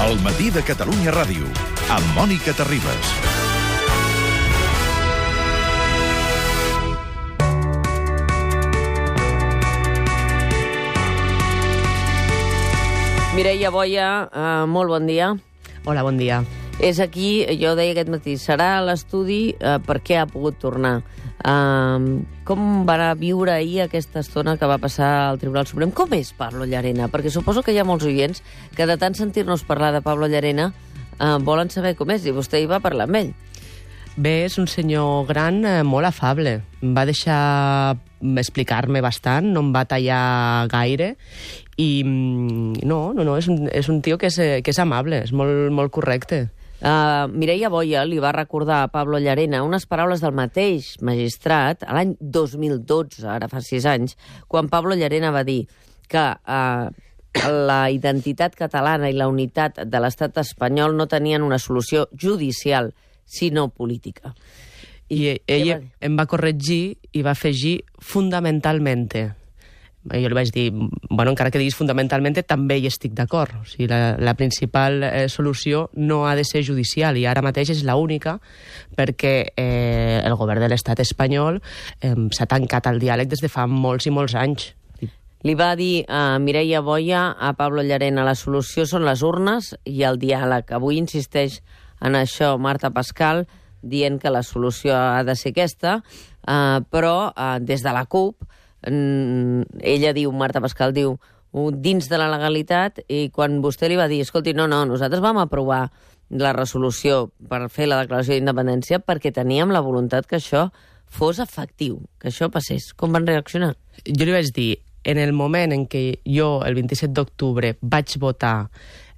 El matí de Catalunya Ràdio, amb Mònica Terribas. Mireia Boia, molt bon dia. Hola, bon dia. És aquí, jo deia aquest matí, serà a l'estudi per què ha pogut tornar. Com va viure ahir aquesta estona que va passar al Tribunal Suprem? Com és Pablo Llarena? Perquè suposo que hi ha molts oients que de tant sentir-nos parlar de Pablo Llarena volen saber com és, i vostè hi va parlar amb ell. Bé, és un senyor gran molt afable. Em va deixar explicar-me bastant, no em va tallar gaire, i no, és un tio que és amable, és molt correcte. Mireia Boia li va recordar a Pablo Llarena unes paraules del mateix magistrat a l'any 2012, ara fa 6 anys, quan Pablo Llarena va dir que la identitat catalana i la unitat de l'estat espanyol no tenien una solució judicial, sinó política. I ell em va corregir i va afegir fundamentalmente. Jo li vaig dir, bueno, encara que diguis fundamentalment, també hi estic d'acord. O sigui, la principal solució no ha de ser judicial, i ara mateix és l'única, perquè el govern de l'estat espanyol s'ha tancat al diàleg des de fa molts i molts anys. Li va dir a Mireia Boia, a Pablo Llarena, la solució són les urnes i el diàleg. Avui insisteix en això Marta Pascal, dient que la solució ha de ser aquesta, però des de la CUP, ella diu, Marta Pascal diu, dins de la legalitat, i quan vostè li va dir, escolti, no, nosaltres vam aprovar la resolució per fer la declaració d'independència perquè teníem la voluntat que això fos efectiu, que això passés. Com van reaccionar? Jo li vaig dir, en el moment en què jo, el 27 d'octubre, vaig votar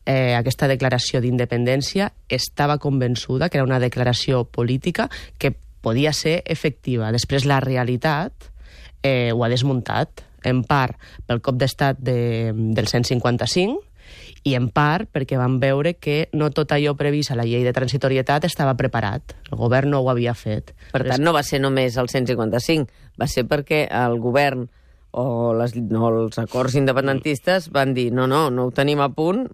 aquesta declaració d'independència, estava convençuda que era una declaració política que podia ser efectiva. Després la realitat ho ha desmuntat, en part pel cop d'estat del 155 i en part perquè van veure que no tot allò previst a la llei de transitorietat estava preparat. El govern no ho havia fet. Per tant, no va ser només el 155, va ser perquè el govern o els acords independentistes van dir no ho tenim a punt.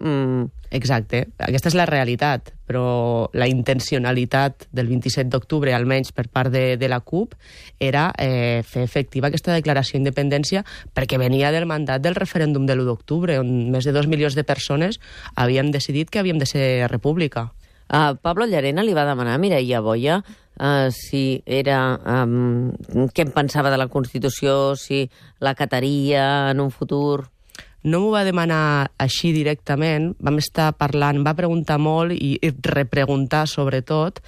Exacte, aquesta és la realitat, però la intencionalitat del 27 d'octubre, almenys per part de la CUP, era fer efectiva aquesta declaració d'independència perquè venia del mandat del referèndum de l'1 d'octubre, on més de 2 milions de persones havien decidit que havíem de ser república. Pablo Llarena li va demanar a Mireia Boia si era què en pensava de la Constitució, si la acataria en un futur. No m'ho va demanar així directament, vam estar parlant, va preguntar molt i repreguntar sobretot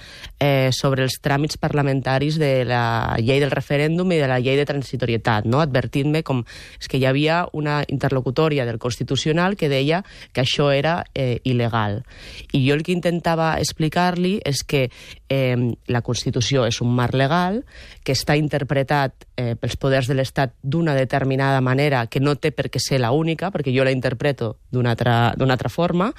sobre els tràmits parlamentaris de la llei del referèndum i de la llei de transitorietat, no? Advertint-me com és que hi havia una interlocutòria del Constitucional que deia que això era il·legal. I jo el que intentava explicar-li és que la Constitució és un marc legal que està interpretat pels poders de l'Estat d'una determinada manera que no té per què ser l'única, perquè jo la interpreto d'una altra forma,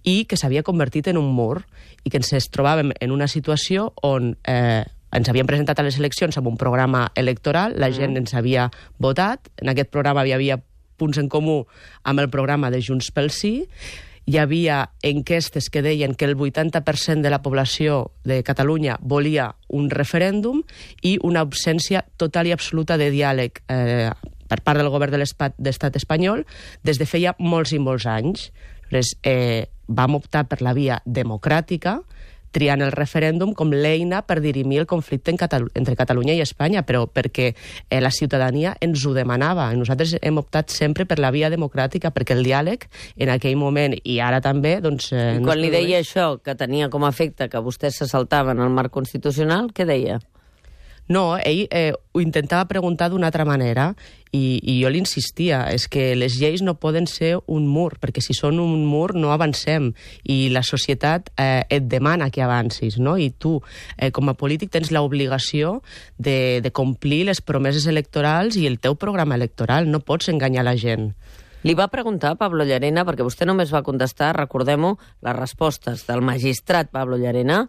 i que s'havia convertit en un mur i que ens trobàvem en una situació on ens havíem presentat a les eleccions amb un programa electoral, la gent ens havia votat, en aquest programa hi havia punts en comú amb el programa de Junts pel Sí, hi havia enquestes que deien que el 80% de la població de Catalunya volia un referèndum i una absència total i absoluta de diàleg per part del govern de l'estat espanyol des de feia molts i molts anys. Vam optar per la via democràtica, triant el referèndum com l'eina per dirimir el conflicte entre Catalunya i Espanya, però perquè la ciutadania ens ho demanava. Nosaltres hem optat sempre per la via democràtica, perquè el diàleg en aquell moment, i ara també, doncs... I quan li deia això, que tenia com a efecte que vostès se saltaven al marc constitucional, què deia? No, ell ho intentava preguntar d'una altra manera i jo li insistia, és que les lleis no poden ser un mur, perquè si són un mur no avancem i la societat et demana que avancis, no? I tu, com a polític, tens l'obligació de complir les promeses electorals i el teu programa electoral, no pots enganyar la gent. Li va preguntar a Pablo Llarena, perquè vostè només va contestar, recordem-ho, les respostes del magistrat Pablo Llarena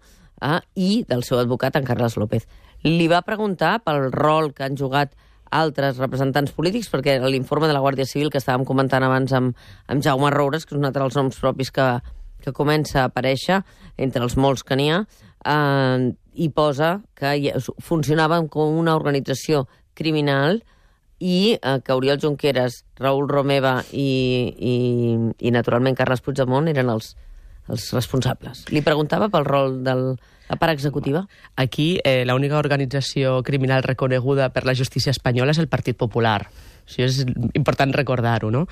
i del seu advocat, en Carles López. Li va preguntar pel rol que han jugat altres representants polítics, perquè l'informe de la Guàrdia Civil que estàvem comentant abans amb Jaume Roures, que és un altre dels noms propis que que comença a aparèixer entre els molts que n'hi ha, i posa que funcionaven com una organització criminal i que Oriol Junqueras, Raül Romeva i naturalment Carles Puigdemont eren els responsables. Li preguntava pel rol de la part executiva. Aquí l'única organització criminal reconeguda per la justícia espanyola és el Partit Popular. Això és important recordar-ho, no?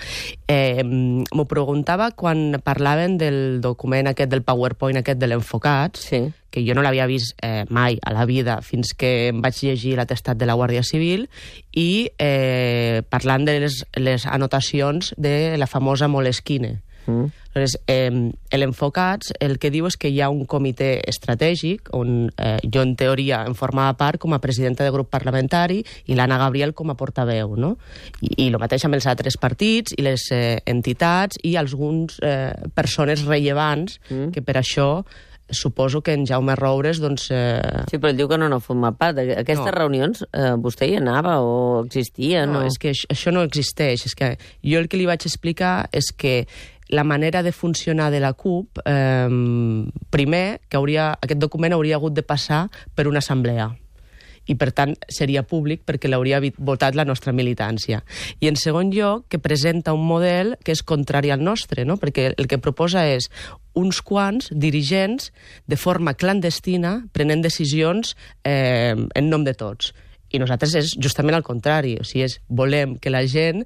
M'ho preguntava quan parlaven del document aquest, del PowerPoint aquest de l'Enfocats, sí, que jo no l'havia vist mai a la vida fins que em vaig llegir l'atestat de la Guàrdia Civil, i parlant de les anotacions de la famosa Moleskine. Aleshores, l'Enfocats el que diu és que hi ha un comitè estratègic on jo en teoria en formava part com a presidenta de grup parlamentari i l'Anna Gabriel com a portaveu, no? I el mateix amb els altres partits i les entitats i algunes persones rellevants que per això suposo que en Jaume Roures, doncs... Sí, però ell diu que no forma part. Aquestes reunions, vostè hi anava o existien? No, és que això no existeix. És que jo el que li vaig explicar és que la manera de funcionar de la CUP, primer, que aquest document hauria hagut de passar per una assemblea i, per tant, seria públic perquè l'hauria votat la nostra militància. I, en segon lloc, que presenta un model que és contrari al nostre, no? Perquè el que proposa és uns quants dirigents de forma clandestina prenent decisions en nom de tots. I nosaltres és justament al contrari, o sigui, volem que la gent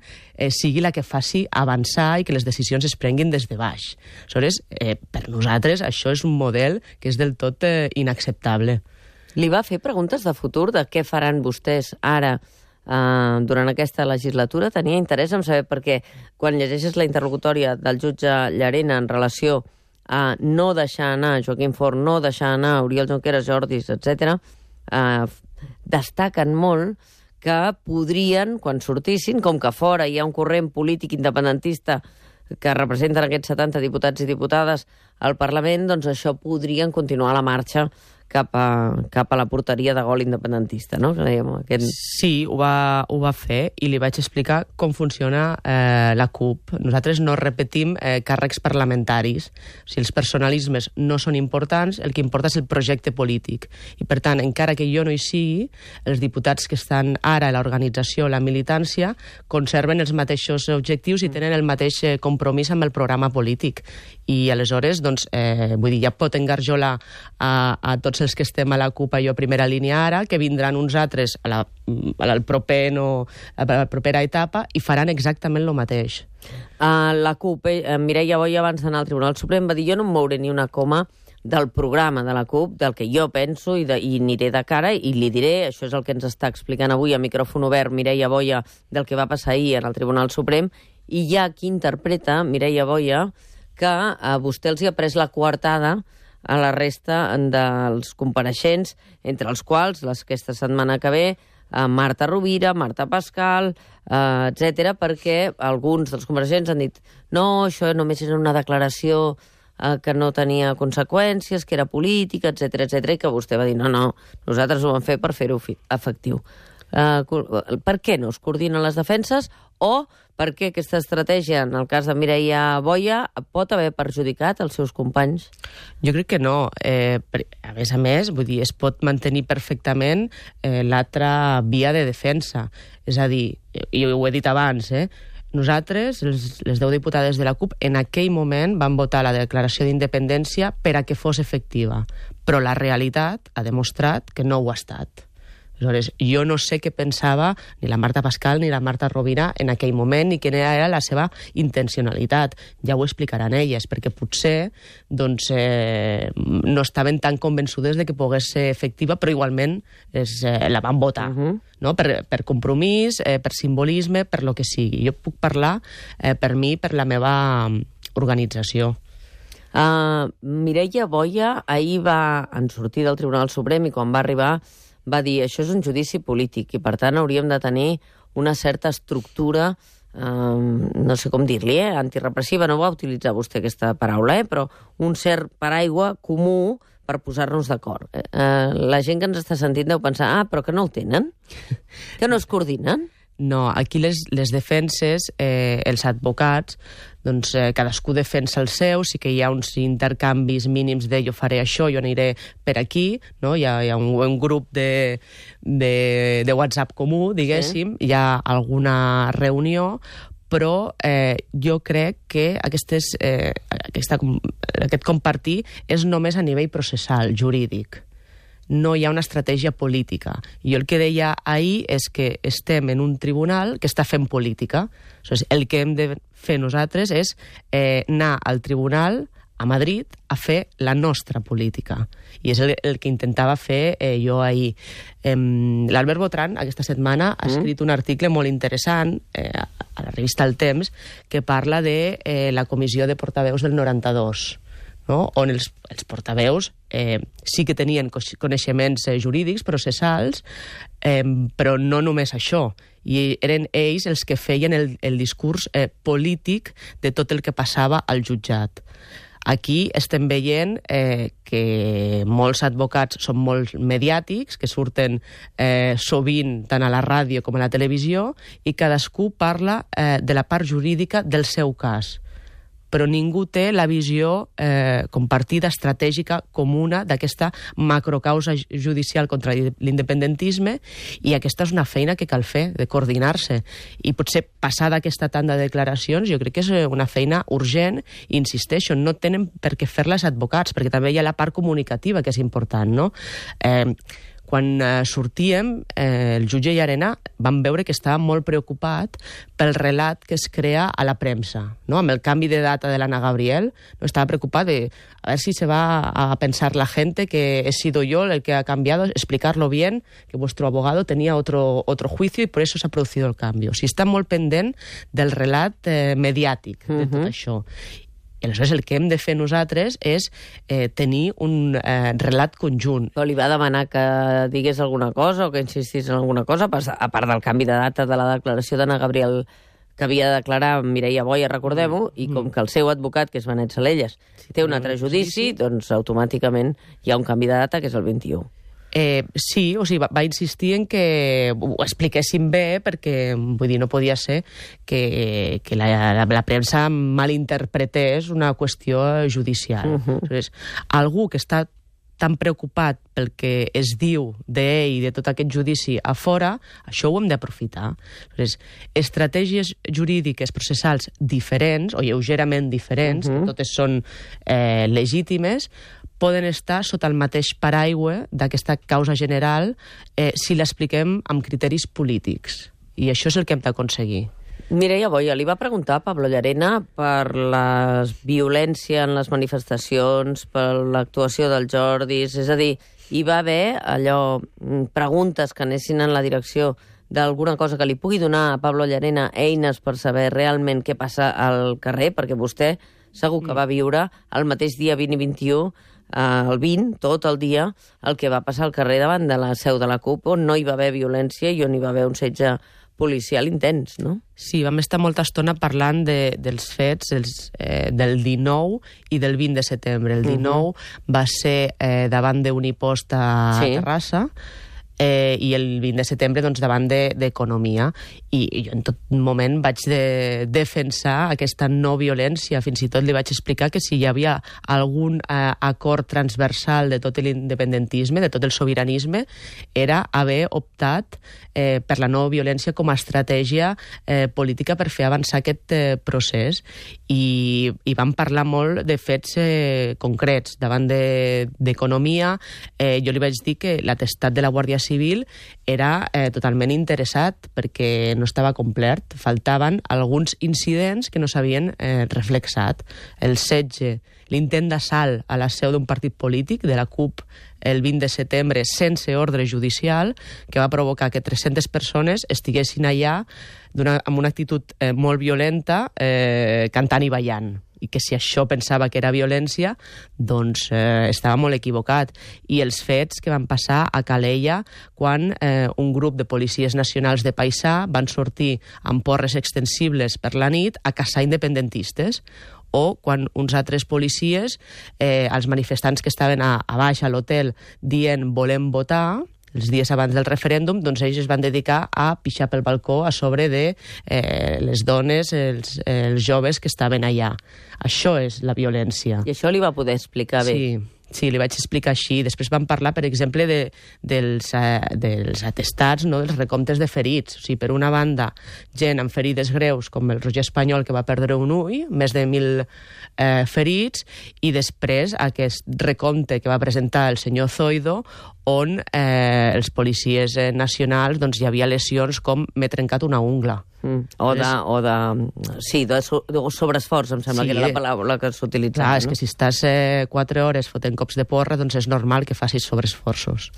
sigui la que faci avançar i que les decisions es prenguin des de baix. Aleshores, per nosaltres això és un model que és del tot inacceptable. Li va fer preguntes de futur de què faran vostès ara durant aquesta legislatura? Tenia interès en saber, perquè quan llegeixes la interlocutòria del jutge Llarena en relació a no deixar anar Joaquim Forn, no deixar anar Oriol Junqueras, Jordis, etc., destaquen molt que podrien, quan sortissin, com que fora hi ha un corrent polític independentista que representen aquests 70 diputats i diputades al Parlament, doncs això podrien continuar la marxa cap a la porteria de gol independentista, no? Sí, ho va fer i li vaig explicar com funciona la CUP. Nosaltres no repetim càrrecs parlamentaris. Si els personalismes no són importants, el que importa és el projecte polític. I, per tant, encara que jo no hi sigui, els diputats que estan ara a l'organització, la militància, conserven els mateixos objectius i tenen el mateix compromís amb el programa polític. I, aleshores, doncs, vull dir, ja pot engarjolar a tots els que estem a la CUP a primera línia ara, que vindran uns altres a la propera etapa i faran exactament el mateix. La CUP, Mireia Boya, abans d'anar al Tribunal Suprem, va dir: jo no em mouré ni una coma del programa de la CUP, del que jo penso, i aniré de cara i li diré, això és el que ens està explicant avui a micròfon obert Mireia Boya, del que va passar ahir en el Tribunal Suprem, i hi ha qui interpreta, Mireia Boya, que vostè els hi ha pres la coartada a la resta dels compareixents, entre els quals, aquesta setmana que ve, Marta Rovira, Marta Pascal, etc., perquè alguns dels compareixents han dit no, això només era una declaració que no tenia conseqüències, que era política, etc., i que vostè va dir no, nosaltres ho vam fer per fer-ho efectiu. Per què no es coordinen les defenses, o per què aquesta estratègia, en el cas de Mireia Boya, pot haver perjudicat els seus companys? Jo crec que no. A més, vull dir, es pot mantenir perfectament l'altra via de defensa. És a dir, i ho he dit abans, nosaltres, les 10 diputades de la CUP, en aquell moment van votar la declaració d'independència per a que fos efectiva. Però la realitat ha demostrat que no ho ha estat. Aleshores, jo no sé què pensava ni la Marta Pascal ni la Marta Rovira en aquell moment, ni quina era la seva intencionalitat. Ja ho explicaran elles, perquè potser doncs, no estaven tan convençudes de que pogués ser efectiva, però igualment la van votar. No? Per compromís, per simbolisme, per lo que sigui. Jo puc parlar per mi, per la meva organització. Mireia Boya ahir en sortir del Tribunal Suprem, i quan va arribar va dir això és un judici polític i, per tant, hauríem de tenir una certa estructura, no sé com dir-li, antirepressiva, no va utilitzar vostè aquesta paraula, però un cert paraigua comú per posar-nos d'acord. La gent que ens està sentint deu pensar, però que no el tenen? Que no es coordinen? No, aquí les defenses, els advocats, doncs cadascú defensa el seu, sí que hi ha uns intercanvis mínims de jo faré això, jo aniré per aquí, no? Hi ha un grup de WhatsApp comú, diguéssim, sí. Hi ha alguna reunió, però jo crec que aquest compartir és només a nivell processal, jurídic. No hi ha una estratègia política. I el que deia ahir és que estem en un tribunal que està fent política. El que hem de fer nosaltres és anar al tribunal a Madrid a fer la nostra política. I és el que intentava fer jo ahir. L'Albert Botran, aquesta setmana, ha escrit un article molt interessant a la revista El Temps que parla de la comissió de portaveus del 92, no? On els portaveus sí que tenien coneixements jurídics, processals, però no només això. I eren ells els que feien el discurs polític de tot el que passava al jutjat. Aquí estem veient que molts advocats són molt mediàtics, que surten sovint tant a la ràdio com a la televisió, i cadascú parla de la part jurídica del seu cas. Però ningú té la visió compartida, estratègica, comuna d'aquesta macrocausa judicial contra l'independentisme, i aquesta és una feina que cal fer, de coordinar-se. I potser passada aquesta tanda de declaracions, jo crec que és una feina urgent, i insisteixo, no tenen per què fer-la els advocats, perquè també hi ha la part comunicativa, que és important, no? Quan sortíem, el jutge Llarena vam veure que estava molt preocupat pel relat que es crea a la premsa, no? Amb el canvi de data de l'Anna Gabriel, no estava preocupat de a ver si se va a pensar la gente que he sido yo el que ha cambiado, explicarlo bien, que vuestro abogado tenía otro juicio y por eso se ha producido el cambio. O sigui, està molt pendent del relat mediàtic de tot això. I aleshores el que hem de fer nosaltres és tenir un relat conjunt. Però li va demanar que digués alguna cosa o que insistís en alguna cosa, a part del canvi de data de la declaració d'Anna Gabriel que havia de declarar Mireia Boya, recordem-ho, i com que el seu advocat, que és Benet Salelles, té un altre judici, doncs automàticament hi ha un canvi de data, que és el 21. Sí, o sigui, va insistir en que ho expliquéssim bé, perquè vull dir, no podia ser que la premsa malinterpretés una qüestió judicial. Algú que està tan preocupat pel que es diu d'ell i de tot aquest judici a fora, això ho hem d'aprofitar. Estratègies jurídiques processals diferents, o lleugerament diferents, totes són legítimes, poden estar sota el mateix paraigua d'aquesta causa general si l'expliquem amb criteris polítics. I això és el que hem d'aconseguir. Mireia Boya, li va preguntar a Pablo Llarena per la violència en les manifestacions, per l'actuació del Jordis, és a dir, hi va haver preguntes que anessin en la direcció d'alguna cosa que li pugui donar a Pablo Llarena eines per saber realment què passa al carrer, perquè vostè segur que va viure el mateix dia 20 i 21, el 20, tot el dia, el que va passar al carrer davant de la seu de la CUP, on no hi va haver violència i on hi va haver un setge policial intens, no? Sí, vam estar molta estona parlant dels fets del 19 i del 20 de setembre. El 19 va ser davant d'un impost a Terrassa, i el 20 de setembre doncs, davant d'Economia. I jo en tot moment vaig defensar aquesta no violència. Fins i tot li vaig explicar que si hi havia algun acord transversal de tot l'independentisme, de tot el sobiranisme, era haver optat per la no violència com a estratègia política per fer avançar aquest procés. I vam parlar molt de fets concrets. Davant d'Economia, jo li vaig dir que l'atestat de la Guàrdia Civil era totalment interessat perquè no estava complert. Faltaven alguns incidents que no s'havien reflexat. El setge, l'intent d'assalt a la seu d'un partit polític, de la CUP, el 20 de setembre, sense ordre judicial, que va provocar que 300 persones estiguessin allà amb una actitud molt violenta, cantant i ballant. I que si això pensava que era violència, doncs estava molt equivocat. I els fets que van passar a Calella quan un grup de policies nacionals de Paisà van sortir amb porres extensibles per la nit a caçar independentistes, o quan uns altres policies, els manifestants que estaven a baix a l'hotel dient volem votar, els dies abans del referèndum, doncs ells es van dedicar a pixar pel balcó a sobre de les dones, els joves que estaven allà. Això és la violència. I això li va poder explicar bé. Sí, li vaig explicar així. Després vam parlar, per exemple, dels atestats, no? Dels recomptes de ferits. O sigui, per una banda, gent amb ferides greus, com el Roger Espanyol, que va perdre un ull, més de 1.000 ferits, i després aquest recompte que va presentar el senyor Zoido, on els policies nacionals doncs, hi havia lesions com m'he trencat una ungla. Sí, de sobreesforç, em sembla que era la paraula que s'utilitzava. Clar, és que si estàs 4 hores fotent cops de porra, doncs és normal que facis sobreesforços.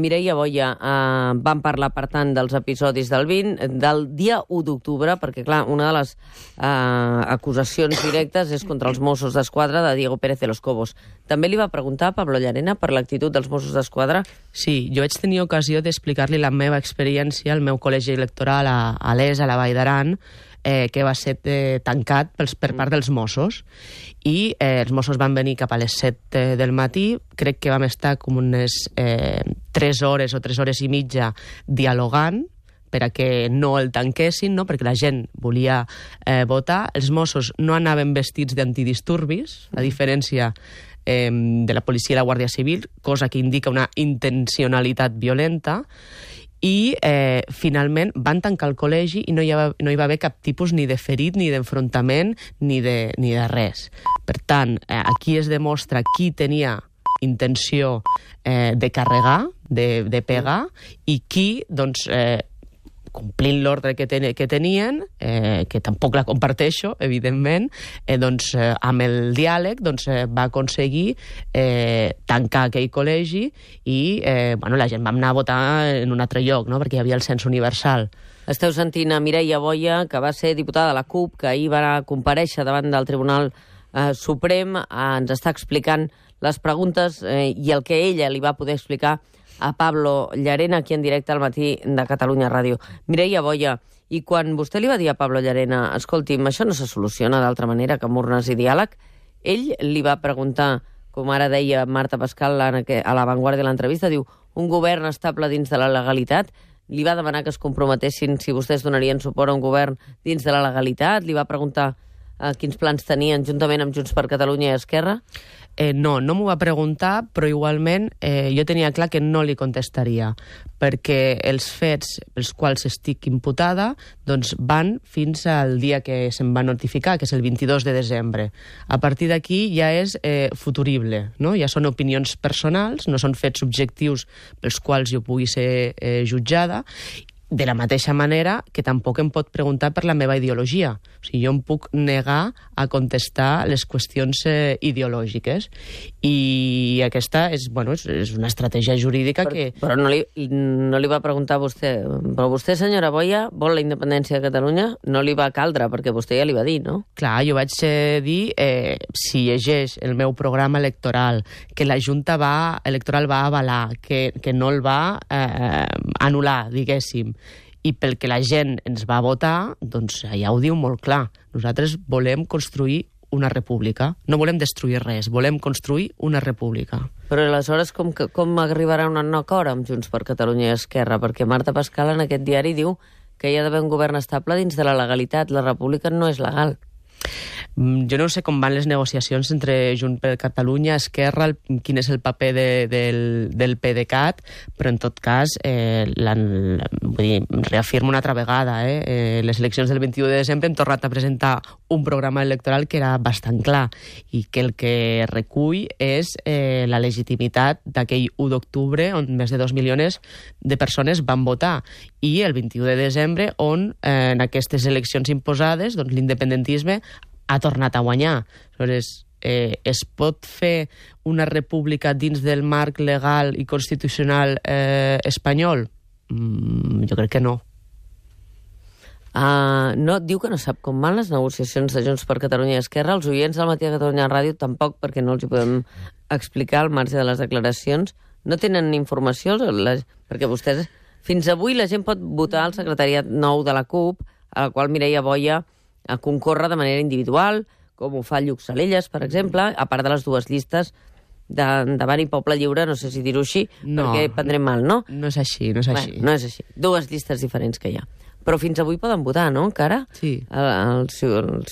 Mireia Boya, vam parlar, per tant, dels episodis del 20, del dia 1 d'octubre, perquè, clar, una de les acusacions directes és contra els Mossos d'Esquadra de Diego Pérez de los Cobos. També li va preguntar a Pablo Llarena per l'actitud dels Mossos d'Esquadra? Sí, jo vaig tenir ocasió d'explicar-li la meva experiència al meu col·legi electoral a l'ES, a la Vall d'Aran, que va ser tancat per part dels Mossos. I els Mossos van venir cap a les 7 del matí, crec que vam estar com unes 3 hores o 3 hores i mitja dialogant per a que no el tanquessin, no? Perquè la gent volia votar. Els Mossos no anaven vestits d'antidisturbis, a diferència de la policia i la Guàrdia Civil, cosa que indica una intencionalitat violenta, i finalment van tancar el col·legi i no hi va haver cap tipus ni de ferit, ni d'enfrontament, ni de res. Per tant, aquí es demostra qui tenia intenció de carregar, de pegar, i qui, doncs, complint l'ordre que tenien, que tampoc la comparteixo, evidentment, doncs, amb el diàleg va aconseguir tancar aquell col·legi i la gent vam anar a votar en un altre lloc, no? Perquè hi havia el cens universal. Esteu sentint a Mireia Boya, que va ser diputada de la CUP, que ahir va comparèixer davant del Tribunal Suprem, ens està explicant les preguntes i el que ella li va poder explicar a Pablo Llarena, aquí en directe al matí de Catalunya Ràdio. Mireia Boya, i quan vostè li va dir a Pablo Llarena, escolti'm, això no se soluciona d'altra manera que amb urnes i diàleg, ell li va preguntar, com ara deia Marta Pascal a La Vanguardia de l'entrevista, diu, un govern estable dins de la legalitat, li va demanar que es comprometessin si vostès donarien suport a un govern dins de la legalitat, li va preguntar quins plans tenien juntament amb Junts per Catalunya i Esquerra? No m'ho va preguntar, però igualment jo tenia clar que no li contestaria, perquè els fets pels quals estic imputada doncs van fins al dia que se'm va notificar, que és el 22 de desembre. A partir d'aquí ja és futurible, no? Ja són opinions personals, no són fets objectius pels quals jo pugui ser jutjada, de la mateixa manera que tampoc em pot preguntar per la meva ideologia. O sigui, jo em puc negar a contestar les qüestions ideològiques. I aquesta és una estratègia jurídica que... Però no li va preguntar a vostè, però vostè, senyora Boya, vol la independència de Catalunya? No li va caldre, perquè vostè ja li va dir, no? Clar, jo vaig dir, si llegeix el meu programa electoral, que la Junta electoral va avalar, que no el va anul·lar, diguéssim, i pel que la gent ens va votar, doncs ja ho diu molt clar. Nosaltres volem construir una república. No volem destruir res, volem construir una república. Però aleshores com arribarà a un acord amb Junts per Catalunya i Esquerra? Perquè Marta Pascal en aquest diari diu que hi ha d'haver un govern estable dins de la legalitat. La república no és legal. Jo no sé com van les negociacions entre Junts per Catalunya, Esquerra, quin és el paper del PDeCAT, però en tot cas reafirmo una altra vegada, les eleccions del 21 de desembre hem tornat a presentar un programa electoral que era bastant clar i que el que recull és la legitimitat d'aquell 1 d'octubre on més de 2 milions de persones van votar, i el 21 de desembre on en aquestes eleccions imposades doncs, l'independentisme ha tornat a guanyar. Aleshores, es pot fer una república dins del marc legal i constitucional espanyol? Jo crec que no. No, diu que no sap com van les negociacions de Junts per Catalunya i Esquerra. Els oients del matí de Catalunya Ràdio tampoc, perquè no els hi podem explicar al marge de les declaracions. No tenen informació, perquè vostès... Fins avui la gent pot votar al secretariat nou de la CUP, a la qual Mireia Boya concorre de manera individual, com ho fa Lluc Salelles, per exemple, a part de les dues llistes d'Endavant i Poble Lliure, no sé si dir-ho així, perquè prendrem mal, no? No és així, no és així. Bé, no és així. Dues llistes diferents que hi ha. Però fins avui poden votar, no, encara? Sí. Els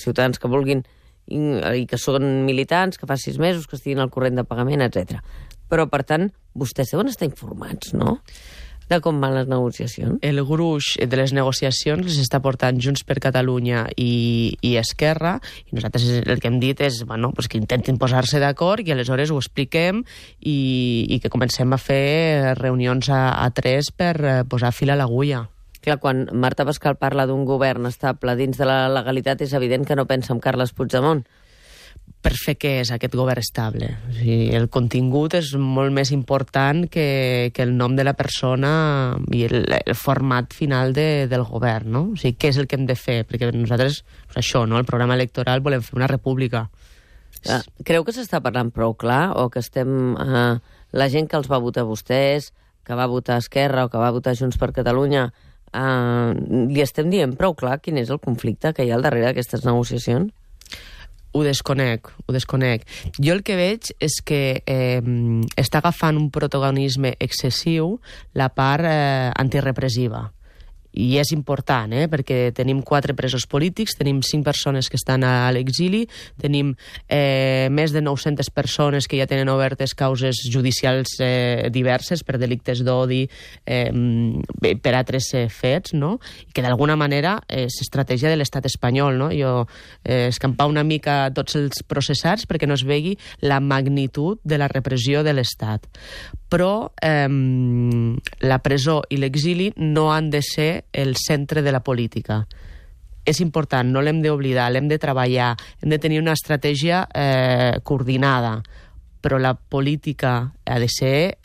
ciutadans que vulguin i que són militants, que fa 6 mesos, que estiguin al corrent de pagament, etc. Però, per tant, vostès deuen estar informats, no?, de com van les negociacions. El gruix de les negociacions les està portant Junts per Catalunya i Esquerra, i nosaltres el que hem dit és pues que intentin posar-se d'acord i aleshores ho expliquem i que comencem a fer reunions a 3 per posar fil a l'agulla. Clar, quan Marta Pascal parla d'un govern estable dins de la legalitat, és evident que no pensa en Carles Puigdemont. Per fer què és aquest govern estable? O sigui, el contingut és molt més important que el nom de la persona i el format final del govern, no? O sigui, què és el que hem de fer? Perquè nosaltres, això, no? El programa electoral volem fer una república. Creu que s'està parlant prou clar o que estem... la gent que els va votar vostès, que va votar Esquerra o que va votar Junts per Catalunya, li estem dient prou clar quin és el conflicte que hi ha al darrere d'aquestes negociacions? Ho desconec. Jo el que veig és que està agafant un protagonisme excessiu la part antirepressiva. I és important, perquè tenim 4 presos polítics, tenim 5 persones que estan a l'exili, tenim més de 900 persones que ja tenen obertes causes judicials diverses per delictes d'odi, per altres fets, no? I que d'alguna manera és estratègia de l'estat espanyol, no? Jo escampar una mica tots els processats perquè no es vegi la magnitud de la repressió de l'estat. Però la presó i l'exili no han de ser el centre de la política. És important, no l'hem d'oblidar, l'hem de treballar, hem de tenir una estratègia coordinada, però la política ha de ser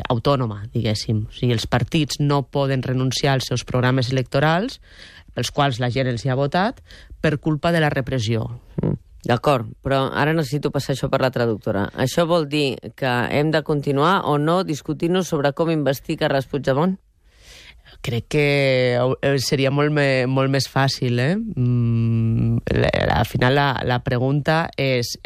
autònoma, diguéssim. O sigui, els partits no poden renunciar als seus programes electorals, pels quals la gent els hi ha votat, per culpa de la repressió. D'acord, però ara necessito passar això per la traductora. Això vol dir que hem de continuar o no discutint-nos sobre com investir Carles Puigdemont? Crec que seria molt més fàcil, Al final la pregunta és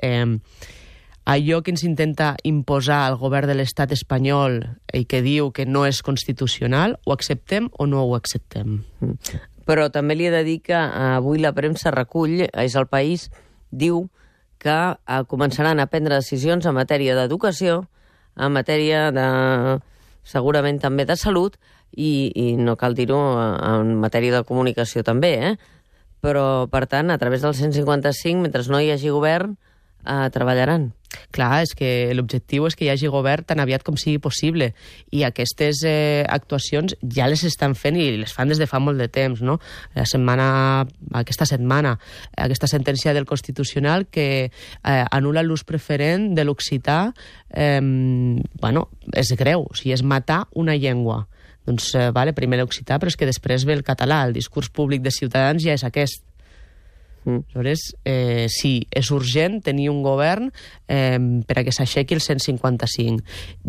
allò que ens intenta imposar el govern de l'estat espanyol i que diu que no és constitucional, ho acceptem o no ho acceptem? Però també li he de dir que avui la premsa recull, és El País, diu que començaran a prendre decisions en matèria d'educació, en matèria de, segurament també de salut, i no cal dir-ho, en matèria de comunicació també, Però, per tant, a través del 155, mentre no hi hagi govern, treballaran. Clar, és que l'objectiu és que hi hagi govern tan aviat com sigui possible, i aquestes actuacions ja les estan fent i les fan des de fa molt de temps, no? Aquesta setmana, aquesta sentència del Constitucional que anul·la l'ús preferent de l'occità, és greu, o sigui, és matar una llengua. Doncs, primer l'occità, però és que després ve el català, el discurs públic de Ciutadans ja és aquest. Aleshores, sí, és urgent tenir un govern per a que s'aixequi el 155.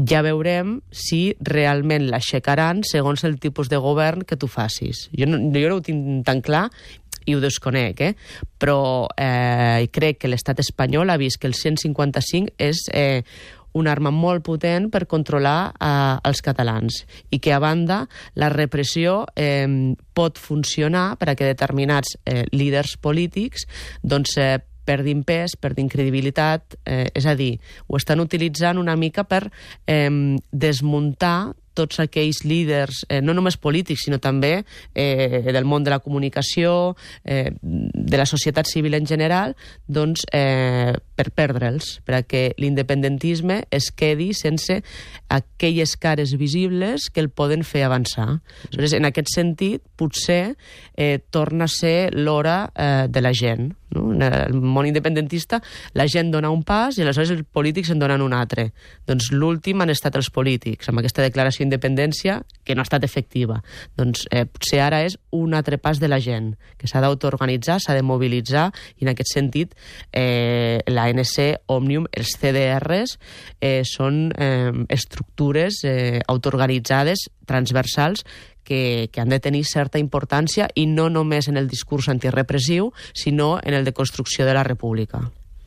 Ja veurem si realment l'aixecaran segons el tipus de govern que tu facis. Jo no ho tinc tan clar i ho desconec, però crec que l'estat espanyol ha vist que el 155 és una arma molt potent per controlar els catalans i que, a banda, la repressió pot funcionar per a que determinats líders polítics perdin pes, perdin credibilitat, és a dir, ho estan utilitzant una mica per desmuntar tots aquells líders, no només polítics, sinó també del món de la comunicació, de la societat civil en general, doncs per perdre'ls, perquè l'independentisme es quedi sense aquelles cares visibles que el poden fer avançar. Aleshores, en aquest sentit, potser torna a ser l'hora de la gent. No? En el món independentista la gent dona un pas i aleshores els polítics en donen un altre. Doncs l'últim han estat els polítics, amb aquesta declaració d'independència que no ha estat efectiva. Doncs potser ara és un altre pas de la gent, que s'ha d'autoorganitzar, s'ha de mobilitzar, i en aquest sentit l'ANC, Òmnium, els CDRs són estructures autoorganitzades, transversals, que han de tenir certa importància, i no només en el discurs antirepressiu, sinó en el de construcció de la república.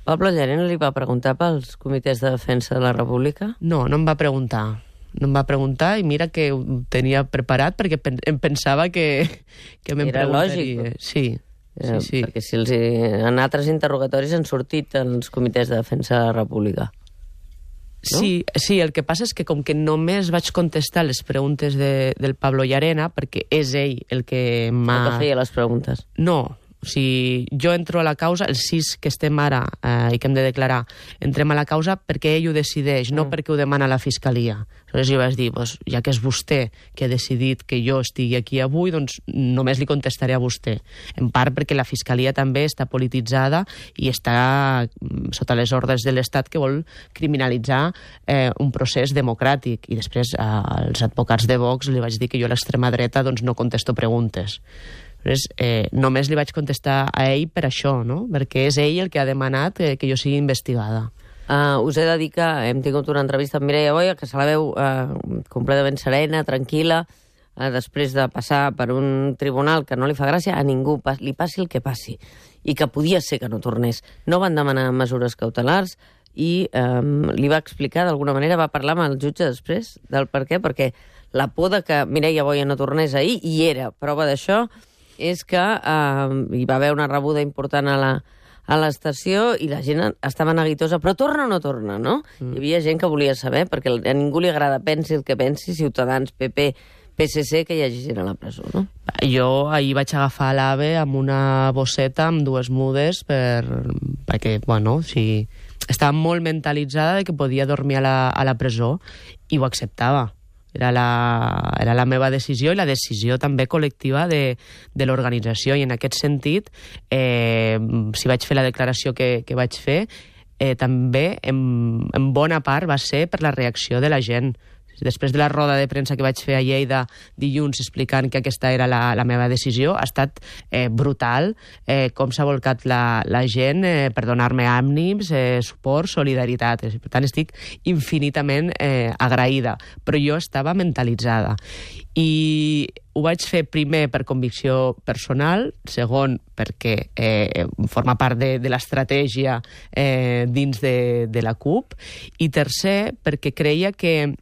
Pablo Llarena li va preguntar pels comitès de defensa de la República? No em va preguntar. No em va preguntar i mira que ho tenia preparat perquè em pensava que me'n preguntaria. Era lògic. Sí. Perquè si en altres interrogatoris han sortit els comitès de defensa de la República. No? Sí, el que passa és que com que només vaig contestar les preguntes del Pablo Llarena, perquè és ell el que m'ha... El que feia les preguntes. No, o sigui, jo entro a la causa, els 6 que estem ara i que hem de declarar, entrem a la causa perquè ell ho decideix, no perquè ho demana la Fiscalia. Aleshores jo vaig dir, ja que és vostè que ha decidit que jo estigui aquí avui, doncs només li contestaré a vostè. En part perquè la Fiscalia també està polititzada i està sota les ordres de l'Estat que vol criminalitzar un procés democràtic. I després als advocats de Vox li vaig dir que jo a l'extrema dreta doncs, no contesto preguntes. Només li vaig contestar a ell per això, no? Perquè és ell el que ha demanat que jo sigui investigada. Us he de dir que hem tingut una entrevista amb Mireia Boya, que se la veu completament serena, tranquil·la, després de passar per un tribunal que no li fa gràcia a ningú, li passi el que passi, i que podia ser que no tornés. No van demanar mesures cautelars i li va explicar, d'alguna manera, va parlar amb el jutge després del per què, perquè la por de que Mireia Boya no tornés ahir, i era prova d'això, és que hi va haver una rebuda important a l'estació i la gent estava neguitosa, però torna o no torna, no? Hi havia gent que volia saber, perquè a ningú li agrada pensi el que pensi, Ciutadans, PP, PSC, que hi hagi gent a la presó, no? Jo ahir vaig agafar l'AVE amb una bosseta amb 2 mudes perquè, bueno, sí, estava molt mentalitzada de que podia dormir a la presó i ho acceptava. Era la meva decisió i la decisió també col·lectiva de l'organització. I en aquest sentit, si vaig fer la declaració que vaig fer, també en bona part va ser per la reacció de la gent. Després de la roda de premsa que vaig fer a Lleida dilluns explicant que aquesta era la meva decisió, ha estat brutal com s'ha volcat la gent per donar-me ànims, suport, solidaritat. Per tant, estic infinitament agraïda, però jo estava mentalitzada. I ho vaig fer primer per convicció personal, segon perquè forma part de l'estratègia dins de la CUP, i tercer perquè creia que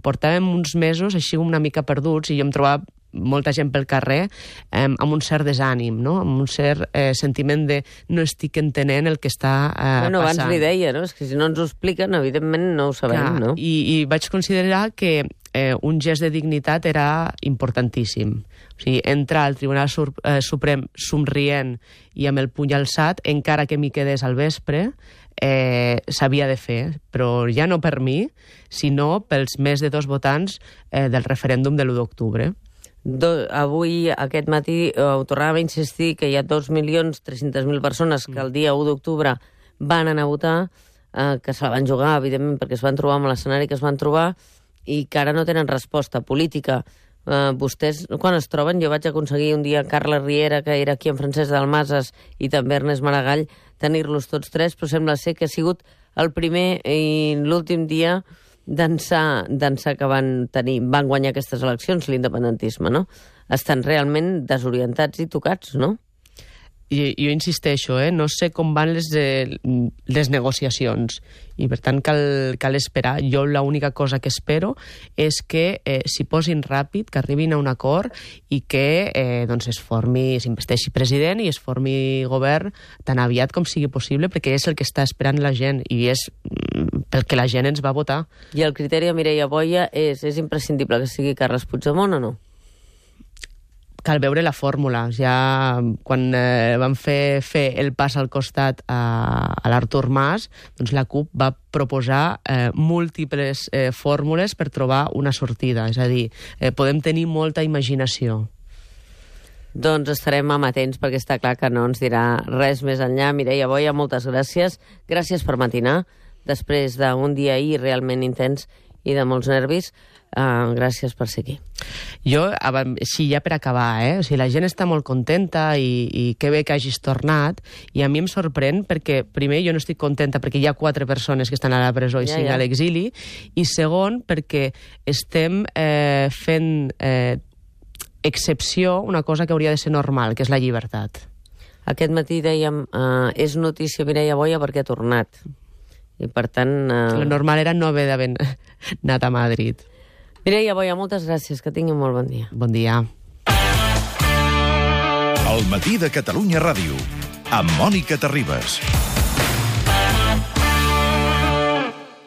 portàvem uns mesos així una mica perduts i jo em trobava molta gent pel carrer amb un cert desànim, no? Amb un cert sentiment de no estic entenent el que està passant. Abans li deia, no? És que si no ens ho expliquen, evidentment no ho sabem, clar, no? I vaig considerar que un gest de dignitat era importantíssim. O sigui, entrar al Tribunal Suprem somrient i amb el puny alçat, encara que m'hi quedés al vespre, s'havia de fer, però ja no per mi, sinó pels més de 2 votants del referèndum de l'1 d'octubre. Avui, aquest matí, ho tornàvem a insistir que hi ha 2.300.000 persones que el dia 1 d'octubre van anar a votar, que se la van jugar, evidentment, perquè es van trobar amb l'escenari que es van trobar i que ara no tenen resposta política. Vostès, quan es troben, jo vaig aconseguir un dia Carla Riera, que era aquí en Francesc Dalmases, i també Ernest Maragall, tenir-los tots 3, però sembla ser que ha sigut el primer i l'últim dia d'ençà que van guanyar aquestes eleccions, l'independentisme, no? Estan realment desorientats i tocats, no? Jo insisteixo, no sé com van les negociacions i per tant cal esperar. Jo l'única cosa que espero és que s'hi posin ràpid, que arribin a un acord i que s'investeixi president i es formi govern tan aviat com sigui possible, perquè és el que està esperant la gent i és pel que la gent ens va votar. I el criteri de Mireia Boya és imprescindible que sigui Carles Puigdemont o no? Cal veure la fórmula. Ja quan van fer el pas al costat a l'Artur Mas, doncs la CUP va proposar múltiples fórmules per trobar una sortida. És a dir, podem tenir molta imaginació. Doncs estarem amatents perquè està clar que no ens dirà res més enllà. Mireia Boya, moltes gràcies. Gràcies per matinar, després d'un dia ahir realment intens i de molts nervis. Gràcies per ser aquí. Jo, sí, ja per acabar, o sigui, la gent està molt contenta i que bé que hagis tornat, i a mi em sorprèn perquè, primer, jo no estic contenta perquè hi ha 4 persones que estan a la presó i 5 a l'exili, i segon, perquè estem fent excepció una cosa que hauria de ser normal, que és la llibertat. Aquest matí dèiem, és notícia Mireia Boia perquè ha tornat. I per tant... Lo normal era no haver d'haver anat a Madrid. Mireia Boia, moltes gràcies, que tingui molt bon dia. Bon dia. El matí de Catalunya Ràdio, amb Mònica Terribas.